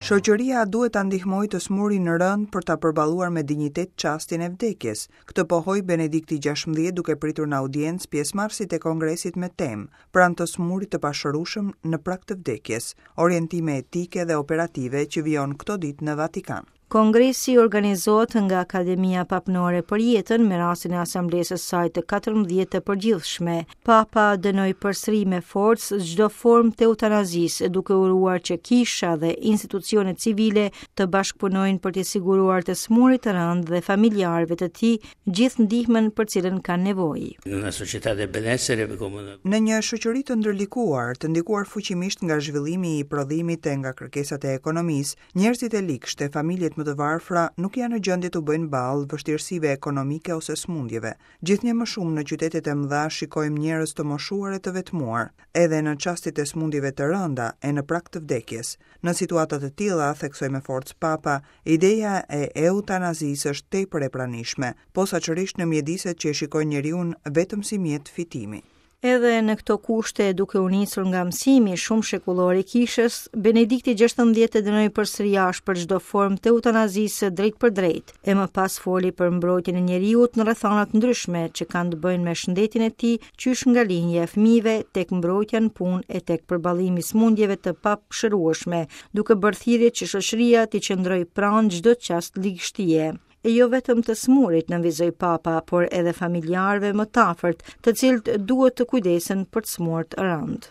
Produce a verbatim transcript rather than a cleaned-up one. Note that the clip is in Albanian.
Shoqëria duhet ta ndihmojë të smurin rënd për ta përballuar me dinjitet çastin e vdekjes. Këtë pohoi Benedikti gjashtëmbëdhjetë duke pritur në audiencë pjesëmarrësit e kongresit me temë pranë të smurit të pashërueshëm në prag të vdekjes, orientime etike dhe operative që vijon këto ditë në Vatikan. Kongresi organizohet nga Akademia Papnore për Jetën me rastin e asamblesë së saj të katërmbëdhjetë të përgjithshme. Papa dënoi përsëri me forcë çdo formë të eutanazisë, duke uruar që kisha dhe institucionet civile të bashkëpunojnë për të siguruar të smurit të rëndë dhe familjarëve të tij gjithë ndihmën për cilën kanë nevojë. Në una società del benessere come una Në një shoqëri të ndërlikuar, të ndikuar fuqimisht nga zhvillimi i prodhimit e nga kërkesat e ekonomisë, njerëzit e ligshtë e familjet më të varfra nuk janë në gjendje të bëjnë ballë vështirësive ekonomike ose sëmundjeve. Gjithnjë më shumë në qytetet e mëdha shikojmë njerëz të moshuar e të vetmuar, edhe në çastet e sëmundjeve të rënda e në prag të vdekjes. Në situata të tilla, theksoi me forcë Papa, ideja e eutanazisë është tepër e pranishme, posaçërisht në mjediset që e shikojnë njeriun vetëm si mjet fitimi. Edhe në këto kushte, duke u nisur nga mësimi shumë shekullor i kishës, Benedikti gjashtëmbëdhjetë e dënoi përsëri ashpër çdo formë të eutanazisë drejt për drejt, e më pas foli për mbrojtjen e njeriut në rrethana të ndryshme që kanë të bëjnë me shëndetin e tij, qysh nga lindja e fëmijëve tek mbrojtja në punë e tek përballimi i sëmundjeve të pashërueshme, duke bërë thirrje që shoqëria t'i qëndrojë pranë çdo çast ligështie. E jo vetëm të smurit, nënvizoi Papa, por edhe familjarëve më të afërt, të cilët duhet të kujdesen për të smurët rënd.